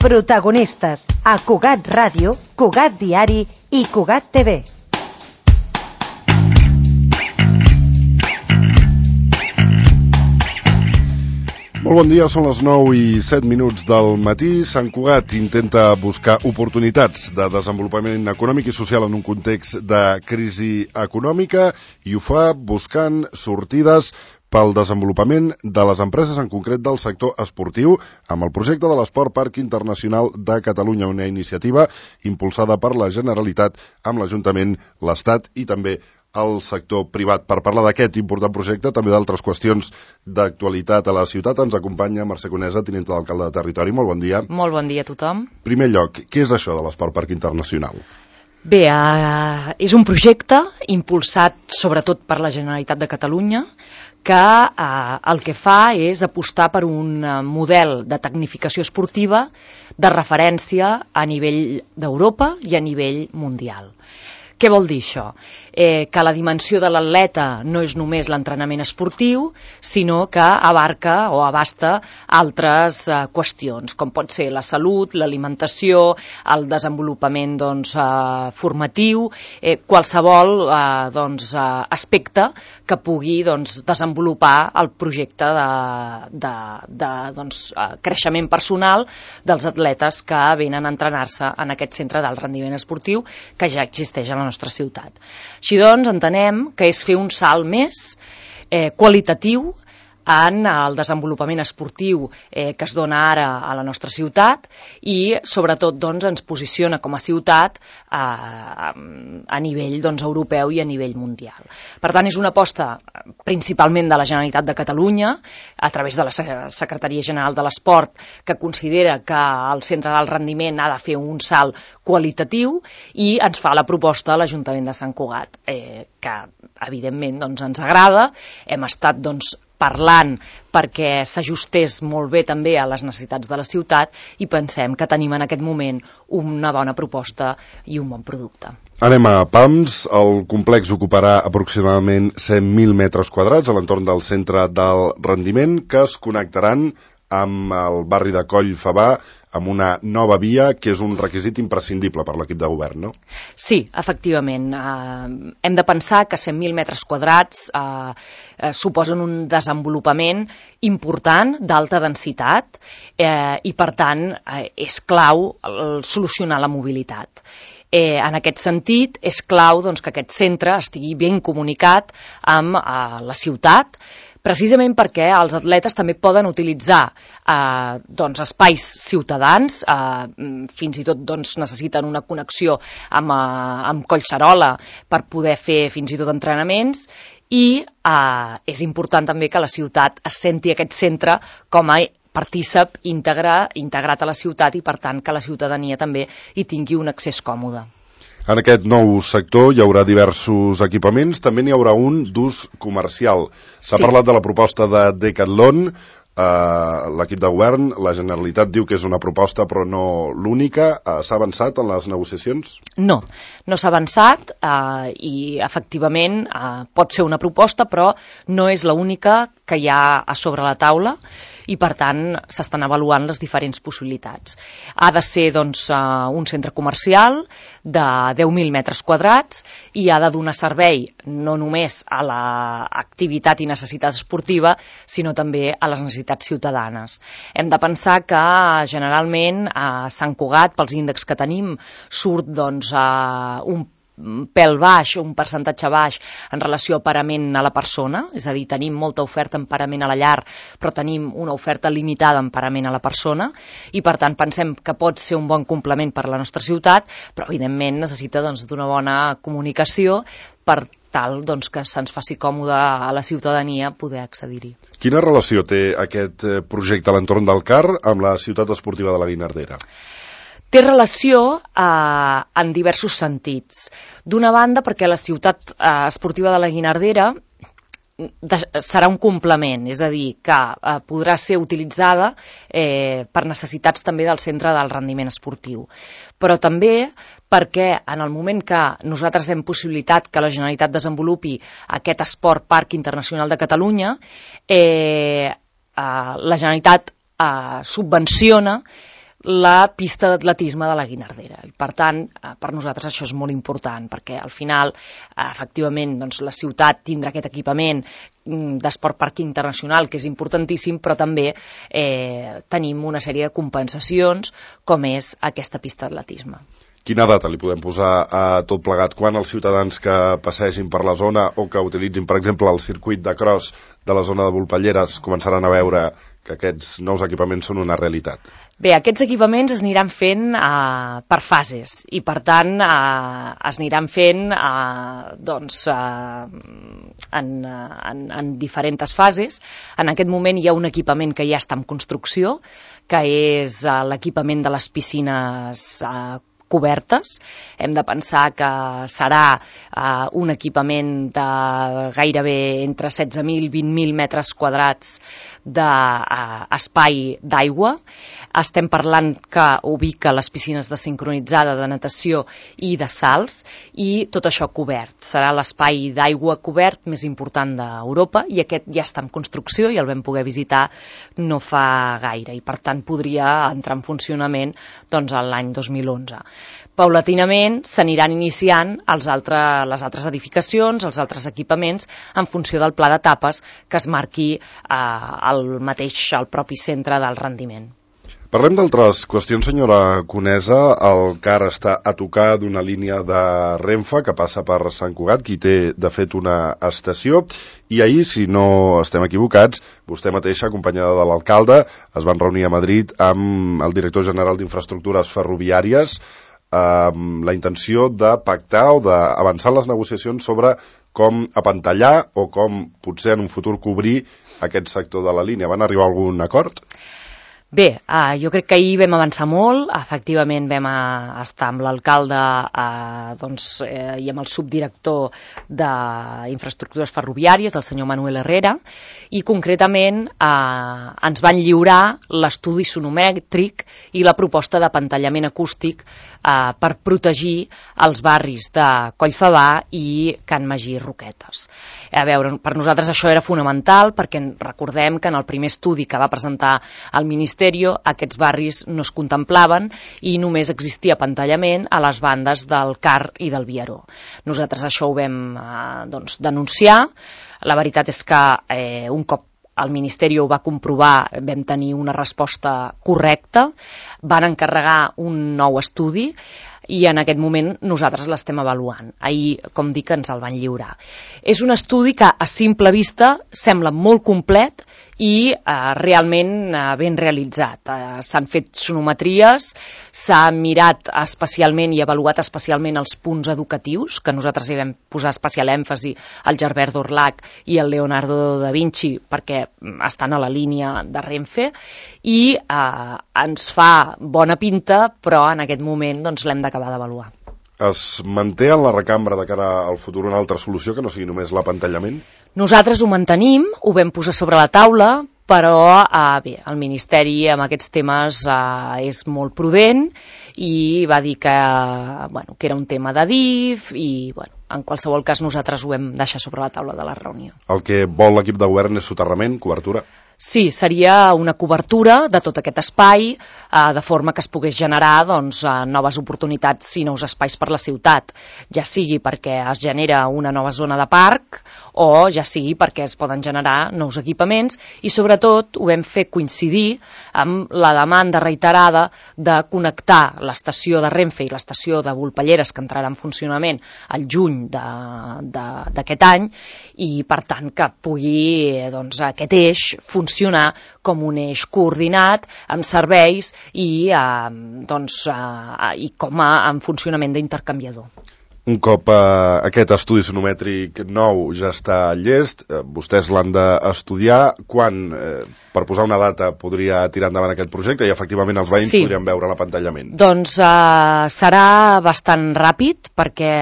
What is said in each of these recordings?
Protagonistes a Cugat Ràdio, Cugat Diari i Cugat TV. Molt bon dia, són les 9:07 del matí. Sant Cugat intenta buscar oportunitats de desenvolupament econòmic i social en un context de crisi econòmica i ho fa buscant sortides pel desenvolupament de les empreses, en concret del sector esportiu, amb el projecte de l'Esport Parc Internacional de Catalunya, una iniciativa impulsada per la Generalitat amb l'Ajuntament, l'Estat i també el sector privat. Per parlar d'aquest important projecte, també d'altres qüestions d'actualitat a la ciutat, ens acompanya Mercè Conesa, tinenta d'alcalde de Territori. Molt bon dia. Molt bon dia a tothom. En primer lloc, què és això de l'Esport Parc Internacional? Bé, és un projecte impulsat sobretot per la Generalitat de Catalunya que el que fa és apostar per un model de tecnificació esportiva de referència a nivell d'Europa i a nivell mundial. Què vol dir això? Que la dimensió de l'atleta no és només l'entrenament esportiu, sinó que abarca o abasta altres qüestions, com pot ser la salut, l'alimentació, el desenvolupament formatiu, qualsevol aspecte que pugui desenvolupar el projecte de creixement personal dels atletes que venen a entrenar-se en aquest centre d'alt rendiment esportiu que ja existeix a la nostra ciutat. Així doncs, entenem que és fer un salt més qualitatiu en el desenvolupament esportiu que es dona ara a la nostra ciutat i sobretot ens posiciona com a ciutat a nivell europeu i a nivell mundial. Per tant, és una aposta principalment de la Generalitat de Catalunya a través de la Secretaria General de l'Esport, que considera que el centre d'alt rendiment ha de fer un salt qualitatiu i ens fa la proposta a l'Ajuntament de Sant Cugat, que evidentment ens agrada. Hem estat parlant perquè s'ajustés molt bé també a les necessitats de la ciutat i pensem que tenim en aquest moment una bona proposta i un bon producte. Anem a Pams. El complex ocuparà aproximadament 100.000 metres quadrats a l'entorn del centre del rendiment que es connectaran amb el barri de Coll Favar amb una nova via que és un requisit imprescindible per l'equip de govern, no? Sí, efectivament. Hem de pensar que 100.000 metres quadrats suposen un desenvolupament important d'alta densitat i, per tant, és clau solucionar la mobilitat. En aquest sentit, és clau que aquest centre estigui ben comunicat amb la ciutat, precisament perquè els atletes també poden utilitzar espais ciutadans, fins i tot necessiten una connexió amb Collserola per poder fer fins i tot entrenaments i és important també que la ciutat es senti aquest centre com a partícip integrat a la ciutat i per tant que la ciutadania també hi tingui un accés còmode. En aquest nou sector hi haurà diversos equipaments, també n'hi haurà un d'ús comercial. S'ha parlat de la proposta de Decathlon, l'equip de govern, la Generalitat diu que és una proposta però no l'única. S'ha avançat en les negociacions? No s'ha avançat i efectivament pot ser una proposta però no és l'única que hi ha a sobre la taula i per tant s'estan avaluant les diferents possibilitats. Ha de ser un centre comercial de 10.000 metres quadrats i ha de donar servei no només a l'activitat i necessitat esportiva sinó també a les necessitats ciutadanes. Hem de pensar que generalment a Sant Cugat, pels índexs que tenim, surt un pèl baix, un percentatge baix en relació a parament a la persona, és a dir, tenim molta oferta en parament a la llar, però tenim una oferta limitada en parament a la persona i per tant pensem que pot ser un bon complement per a la nostra ciutat, però evidentment necessita d'una bona comunicació per tal que se'ns faci còmode a la ciutadania poder accedir-hi. Quina relació té aquest projecte a l'entorn del CAR amb la ciutat esportiva de la Guinardera? Té relació en diversos sentits. D'una banda, perquè la ciutat esportiva de la Guinardera serà un complement, és a dir, que podrà ser utilitzada per necessitats també del centre del rendiment esportiu. Però també perquè en el moment que nosaltres hem possibilitat que la Generalitat desenvolupi aquest Esport Parc Internacional de Catalunya, la Generalitat subvenciona la pista d'atletisme de la Guinardera. I, per tant, per nosaltres això és molt important, perquè al final, efectivament, doncs, la ciutat tindrà aquest equipament d'esport parc internacional, que és importantíssim, però també tenim una sèrie de compensacions, com és aquesta pista d'atletisme. Quina data li podem posar a tot plegat? Quan els ciutadans que passegin per la zona o que utilitzin, per exemple, el circuit de cross de la zona de Volpelleres començaran a veure que aquests nous equipaments són una realitat? Bé, aquests equipaments es aniran fent per fases i, per tant, es aniran fent en diferents fases. En aquest moment hi ha un equipament que ja està en construcció, que és l'equipament de les piscines cobertes. Hem de pensar que serà un equipament de gairebé entre 16.000 i 20.000 metres quadrats d'espai d'aigua. Estem parlant que ubica les piscines de sincronitzada, de natació i de salts, i tot això cobert. Serà l'espai d'aigua cobert més important d'Europa, i aquest ja està en construcció i el vam poder visitar no fa gaire, i per tant podria entrar en funcionament l'any 2011. Paulatinament s'aniran iniciant les altres edificacions, els altres equipaments, en funció del pla d'etapes que es marqui al propi centre del rendiment. Parlem d'altres qüestions, senyora Conesa. El CAR està a tocar d'una línia de Renfe que passa per Sant Cugat, que hi té, de fet, una estació, i ahir, si no estem equivocats, vostè mateixa, acompanyada de l'alcalde, es van reunir a Madrid amb el director general d'Infraestructures Ferroviàries amb la intenció de pactar o d'avançar les negociacions sobre com apantallar o com potser en un futur cobrir aquest sector de la línia. Van arribar a algun acord? Bé, jo crec que ahir vam avançar molt. Efectivament vam estar amb l'alcalde i amb el subdirector d'Infraestructures Ferroviàries, el senyor Manuel Herrera, i concretament ens van lliurar l'estudi sonomètric i la proposta d'apantallament acústic per protegir els barris de Collfabà i Can Magí i Roquetes. A veure, per nosaltres això era fonamental, perquè recordem que en el primer estudi que va presentar el Ministeri aquests barris no es contemplaven i només existia apantallament a les bandes del CAR i del Viaró. Nosaltres això ho vam denunciar. La veritat és que un cop el Ministeri ho va comprovar, vam tenir una resposta correcta, van encarregar un nou estudi i en aquest moment nosaltres l'estem avaluant. Ahir, com dic, ens el van lliurar. És un estudi que a simple vista sembla molt complet i realment ben realitzat. S'han fet sonometries, s'ha mirat especialment i avaluat especialment els punts educatius, que nosaltres hi vam posar especial èmfasi al Gerbert d'Orlac i al Leonardo da Vinci, perquè estan a la línia de Renfe, i ens fa bona pinta, però en aquest moment l'hem d'acabar d'avaluar. Es manté en la recambra de cara al futur una altra solució que no sigui només l'apantallament? Nosaltres ho mantenim, ho vam posar sobre la taula, però bé, el Ministeri amb aquests temes és molt prudent i va dir que era un tema d'adif i en qualsevol cas nosaltres ho vam deixar sobre la taula de la reunió. El que vol l'equip de govern és soterrament, cobertura? Sí, seria una cobertura de tot aquest espai, de forma que es pogués generar noves oportunitats i nous espais per la ciutat, ja sigui perquè es genera una nova zona de parc o ja sigui perquè es poden generar nous equipaments, i sobretot ho vam fer coincidir amb la demanda reiterada de connectar l'estació de Renfe i l'estació de Volpelleres, que entrarà en funcionament al juny d'aquest any, i per tant que pugui aquest eix funcionar com un eix coordinat amb serveis i com en funcionament d'intercanviador. Un cop aquest estudi sonomètric nou ja està llest, vostès l'han d'estudiar. Quan, per posar una data, podria tirar endavant aquest projecte i efectivament els veïns podrien veure l'apantallament? Doncs serà bastant ràpid perquè,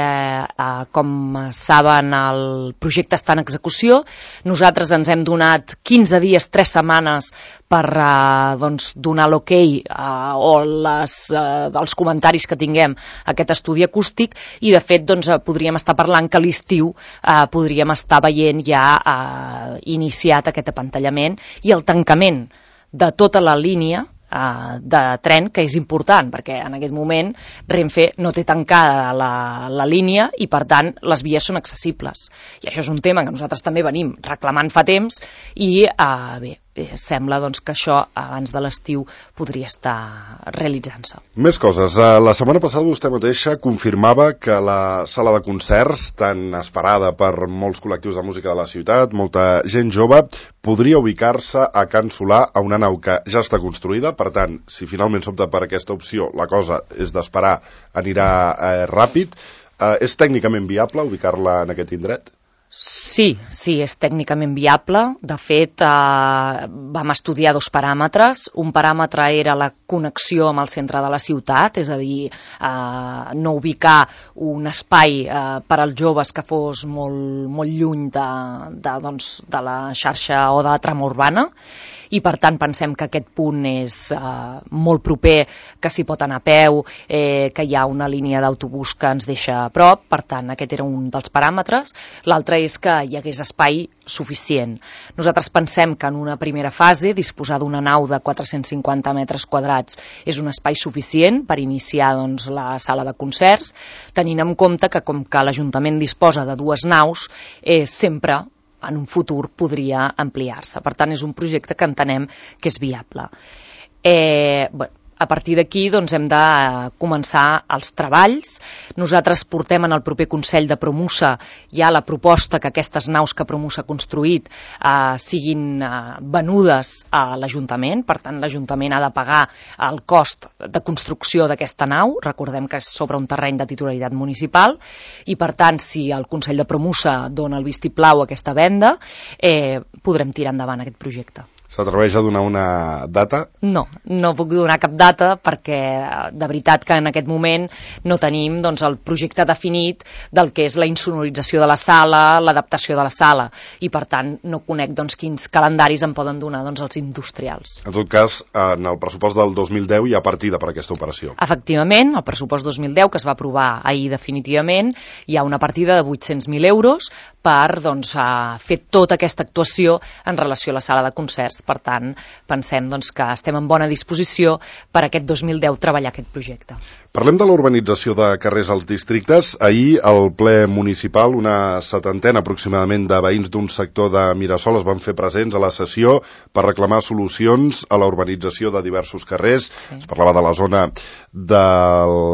com saben, el projecte està en execució. Nosaltres ens hem donat 15 dies, 3 setmanes per donar l'ok o els comentaris que tinguem a aquest estudi acústic, i de fet podríem estar parlant que a l'estiu podríem estar veient ja iniciat aquest apantallament i el tancament de tota la línia de tren, que és important, perquè en aquest moment Renfe no té tancada la línia i, per tant, les vies són accessibles. I això és un tema que nosaltres també venim reclamant fa temps i, sembla doncs, que això abans de l'estiu podria estar realitzant-se. Més coses. La setmana passada vostè mateixa confirmava que la sala de concerts, tan esperada per molts col·lectius de música de la ciutat, molta gent jove, podria ubicar-se a Can Solà, a una nau que ja està construïda. Per tant, si finalment s'opta per aquesta opció, la cosa és d'esperar, anirà ràpid. És tècnicament viable ubicar-la en aquest indret? Sí, és tècnicament viable. De fet, vam estudiar 2 paràmetres. Un paràmetre era la connexió amb el centre de la ciutat, és a dir, no ubicar un espai per als joves que fos molt lluny de la xarxa o de la trama urbana. I per tant pensem que aquest punt és molt proper, que s'hi pot anar a peu, que hi ha una línia d'autobús que ens deixa a prop. Per tant, aquest era un dels paràmetres. L'altre és que hi hagués espai suficient. Nosaltres pensem que en una primera fase disposar d'una nau de 450 metres quadrats és un espai suficient per iniciar doncs, la sala de concerts, tenint en compte que com que l'Ajuntament disposa de 2 naus, sempre en un futur podria ampliar-se. Per tant, és un projecte que entenem que és viable. A partir d'aquí doncs, hem de començar els treballs. Nosaltres portem en el proper Consell de Promusa ja la proposta que aquestes naus que Promusa ha construït siguin venudes a l'Ajuntament. Per tant, l'Ajuntament ha de pagar el cost de construcció d'aquesta nau. Recordem que és sobre un terreny de titularitat municipal i, per tant, si el Consell de Promusa dona el vistiplau a aquesta venda, podrem tirar endavant aquest projecte. S'atreveix a donar una data? No puc donar cap data perquè de veritat que en aquest moment no tenim doncs, el projecte definit del que és la insonorització de la sala, l'adaptació de la sala i per tant no conec doncs, quins calendaris em poden donar doncs, els industrials. En tot cas, en el pressupost del 2010 hi ha partida per aquesta operació. Efectivament, el pressupost 2010 que es va aprovar ahir definitivament hi ha una partida de 800.000 euros per doncs, fer tota aquesta actuació en relació a la sala de concerts. Per tant, pensem doncs, que estem en bona disposició per aquest 2010 treballar aquest projecte. Parlem de la urbanització de carrers als districtes. Ahir, al ple municipal, una 70ena aproximadament de veïns d'un sector de Mirasol es van fer presents a la sessió per reclamar solucions a la urbanització de diversos carrers. Sí. Es parlava de la zona de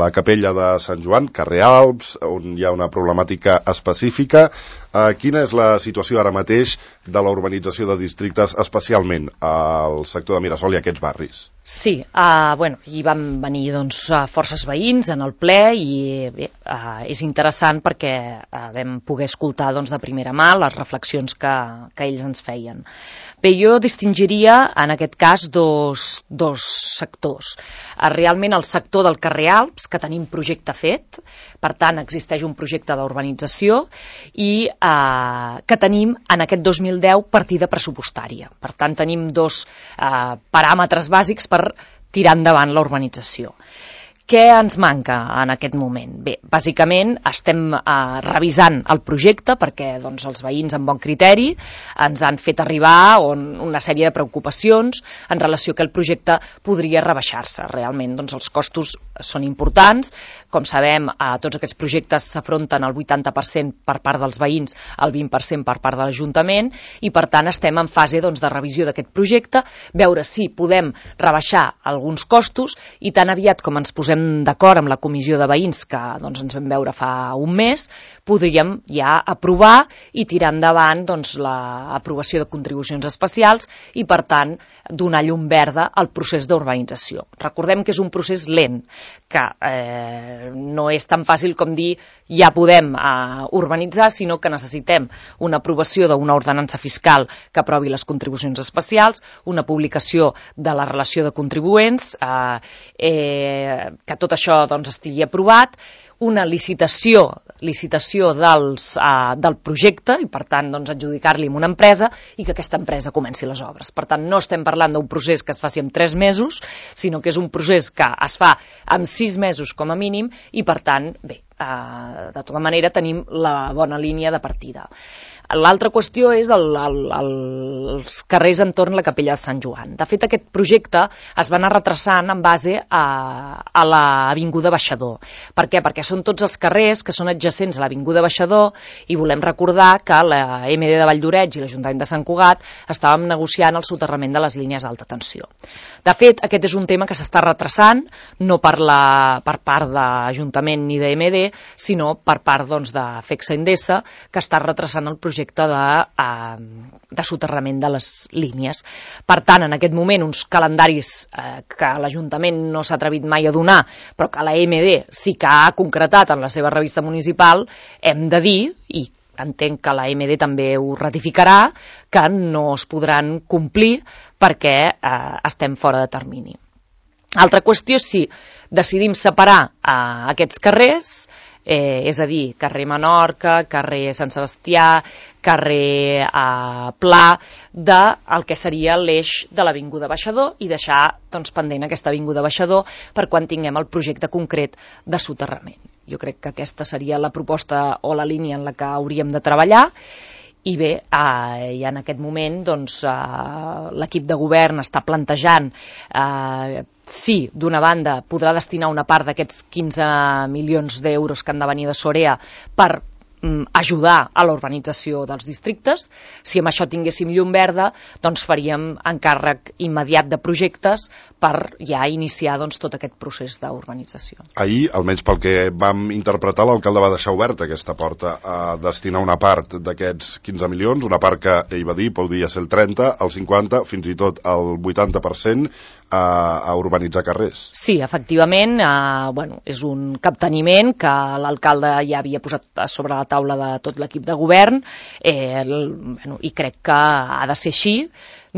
la Capella de Sant Joan, carrer Alps, on hi ha una problemàtica específica. Quina és la situació ara mateix de la urbanització de districtes, especialment al sector de Mirasol i aquests barris? Sí, hi van venir doncs, forces veïns en el ple i és interessant perquè vam poder escoltar doncs, de primera mà les reflexions que ells ens feien. Bé, jo distingiria en aquest cas dos sectors. Realment el sector del carrer Alps, que tenim projecte fet, per tant existeix un projecte d'urbanització i que tenim en aquest 2010 partida pressupostària. Per tant tenim 2 paràmetres bàsics per tirar endavant la urbanització. Què ens manca en aquest moment? Bé, bàsicament estem revisant el projecte perquè doncs, els veïns amb bon criteri ens han fet arribar una sèrie de preocupacions en relació que el projecte podria rebaixar-se. Realment doncs, els costos són importants. Com sabem, tots aquests projectes s'afronten al 80% per part dels veïns, el 20% per part de l'Ajuntament i per tant estem en fase doncs, de revisió d'aquest projecte, veure si podem rebaixar alguns costos i tan aviat com ens posem d'acord amb la comissió de veïns que doncs, ens vam veure fa un mes, podríem ja aprovar i tirar endavant doncs, l'aprovació de contribucions especials i per tant donar llum verda al procés d'urbanització. Recordem que és un procés lent, que no és tan fàcil com dir ja podem urbanitzar, sinó que necessitem una aprovació d'una ordenança fiscal que aprovi les contribucions especials, una publicació de la relació de contribuents, que tot això doncs, estigui aprovat, una licitació del projecte i per tant doncs, adjudicar-li a una empresa i que aquesta empresa comenci les obres. Per tant, no estem parlant d'un procés que es faci en 3 mesos, sinó que és un procés que es fa en 6 mesos com a mínim i per tant, bé, de tota manera tenim la bona línia de partida. L'altra qüestió és els carrers entorn la Capella de Sant Joan. De fet, aquest projecte es va anar retrasant en base a l'Avinguda Baixador. Per què? Perquè són tots els carrers que són adjacents a l'Avinguda Baixador i volem recordar que la MD de Valldoreix i l'Ajuntament de Sant Cugat estàvem negociant el soterrament de les línies d'alta tensió. De fet, aquest és un tema que s'està retrasant, no per part d'Ajuntament ni de MD, sinó per part de FECSA Endesa, que està retrasant el projecte de soterrament de les línies. Per tant, en aquest moment, uns calendaris que l'Ajuntament no s'ha atrevit mai a donar, però que la MD sí que ha concretat en la seva revista municipal, hem de dir, i entenc que la MD també ho ratificarà, que no es podran complir perquè estem fora de termini. Altra qüestió és si decidim separar aquests carrers, és a dir, carrer Menorca, carrer Sant Sebastià, carrer Pla, del que seria l'eix de l'Avinguda Baixador i deixar pendent aquesta Avinguda Baixador per quan tinguem el projecte concret de soterrament. Jo crec que aquesta seria la proposta o la línia en la que hauríem de treballar. I bé, i en aquest moment l'equip de govern està plantejant si d'una banda podrà destinar una part d'aquests 15 milions d'euros que han de venir de Sorea per ajudar a la urbanització dels districtes. Si amb això tinguéssim llum verda, doncs faríem encàrrec immediat de projectes per ja iniciar tot aquest procés d'urbanització. Ahir, almenys pel que vam interpretar, l'alcalde va deixar oberta aquesta porta a destinar una part d'aquests 15 milions, una part que ell va dir podria ser el 30, el 50, fins i tot el 80% a urbanitzar carrers. Sí, efectivament, és un capteniment que l'alcalde ja havia posat sobre la taula de tot l'equip de govern i crec que ha de ser així.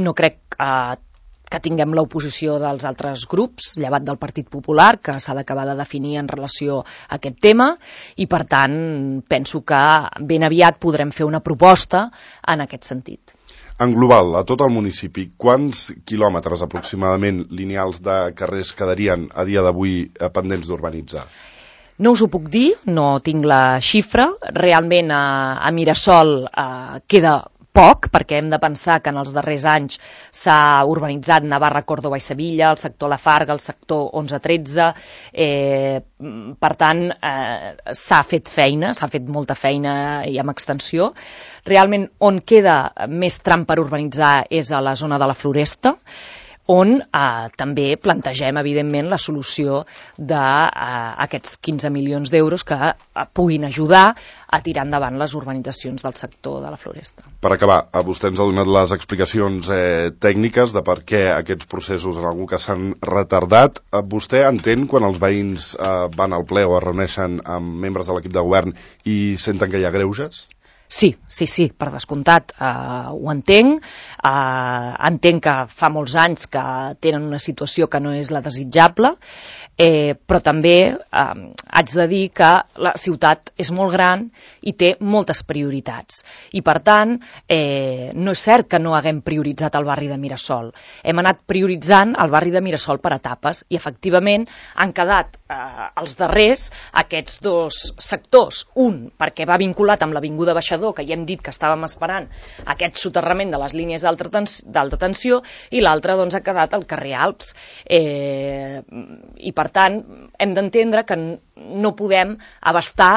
No crec que tinguem l'oposició dels altres grups, llevat del Partit Popular, que s'ha d'acabar de definir en relació a aquest tema, i per tant penso que ben aviat podrem fer una proposta en aquest sentit. En global, a tot el municipi, quants quilòmetres aproximadament lineals de carrers quedarien a dia d'avui pendents d'urbanitzar? No us ho puc dir, no tinc la xifra. Realment a Mirasol queda poc, perquè hem de pensar que en els darrers anys s'ha urbanitzat Navarra, Córdoba i Sevilla, el sector La Farga, el sector 11-13, per tant s'ha fet feina, s'ha fet molta feina i amb extensió. Realment on queda més tram per urbanitzar és a la zona de la Floresta, on també plantegem, evidentment, la solució d'aquests 15 milions d'euros que puguin ajudar a tirar endavant les urbanitzacions del sector de la Floresta. Per acabar, vostè ens ha donat les explicacions tècniques de per què aquests processos en algun cas s'han retardat. Vostè entén quan els veïns van al ple o es reuneixen amb membres de l'equip de govern i senten que hi ha greuges? Sí, per descomptat, ho entenc. Entenc que fa molts anys que tenen una situació que no és la desitjable, però també haig de dir que la ciutat és molt gran i té moltes prioritats. I per tant, no és cert que no haguem prioritzat el barri de Mirasol. Hem anat prioritzant el barri de Mirasol per etapes i efectivament han quedat els darrers aquests dos sectors. Un, perquè va vinculat amb l'Avinguda Baixador, que ja hem dit que estàvem esperant aquest soterrament de les línies d'alta tensió, i l'altre doncs, ha quedat al carrer Alps. I per tant, hem d'entendre que no podem abastar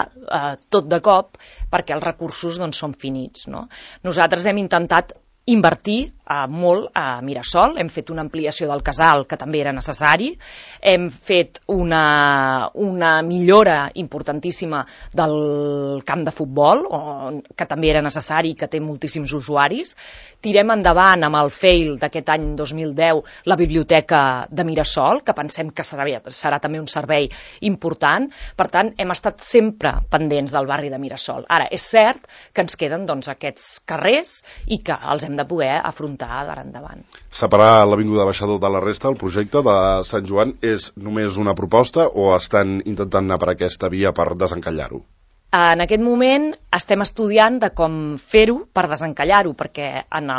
tot de cop perquè els recursos doncs, són finits. No? Nosaltres hem intentat invertir molt a Mirasol, hem fet una ampliació del casal que també era necessari, hem fet una millora importantíssima del camp de futbol, que també era necessari i que té moltíssims usuaris. Tirem endavant amb el FEIL d'aquest any 2010 la biblioteca de Mirasol, que pensem que serà també un servei important. Per tant, hem estat sempre pendents del barri de Mirasol. Ara, és cert que ens queden doncs, aquests carrers i que els hem de poder afrontar d'ara endavant. Separar l'Avinguda Baixador de la resta, el projecte de Sant Joan, és només una proposta o estan intentant anar per aquesta via per desencallar-ho? En aquest moment estem estudiant de com fer-ho per desencallar-ho, perquè en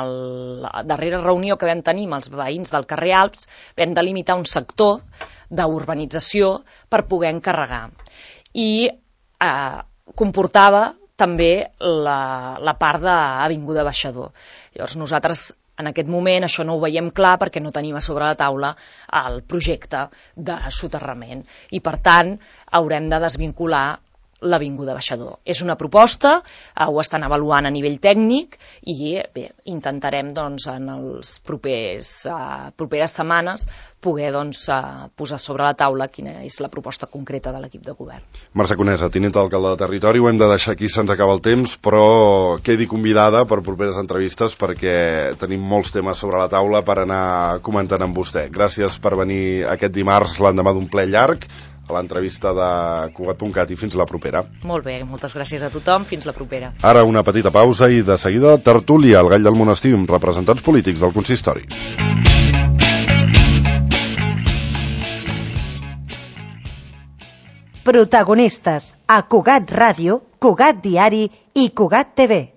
la darrera reunió que vam tenir amb els veïns del carrer Alps vam delimitar un sector d'urbanització per poder encarregar. I comportava també la part d'Avinguda Baixador. Llavors nosaltres en aquest moment això no ho veiem clar perquè no tenim a sobre la taula el projecte de soterrament i per tant haurem de desvincular l'Avinguda Baixador. És una proposta, ho estan avaluant a nivell tècnic i bé, intentarem doncs, en les properes setmanes poder posar sobre la taula quina és la proposta concreta de l'equip de govern. Mercè Conesa, tinent d'alcalde de territori, ho hem de deixar aquí, se'ns acaba el temps, però quedi convidada per properes entrevistes perquè tenim molts temes sobre la taula per anar comentant amb vostè. Gràcies per venir aquest dimarts, l'endemà d'un ple llarg, a l'entrevista de Cugat.cat i fins la propera. Molt bé, moltes gràcies a tothom, fins la propera. Ara una petita pausa i de seguida tertúlia, el Gall del Monestir, amb representants polítics del consistori. Protagonistes a Cugat Ràdio, Cugat Diari i Cugat TV.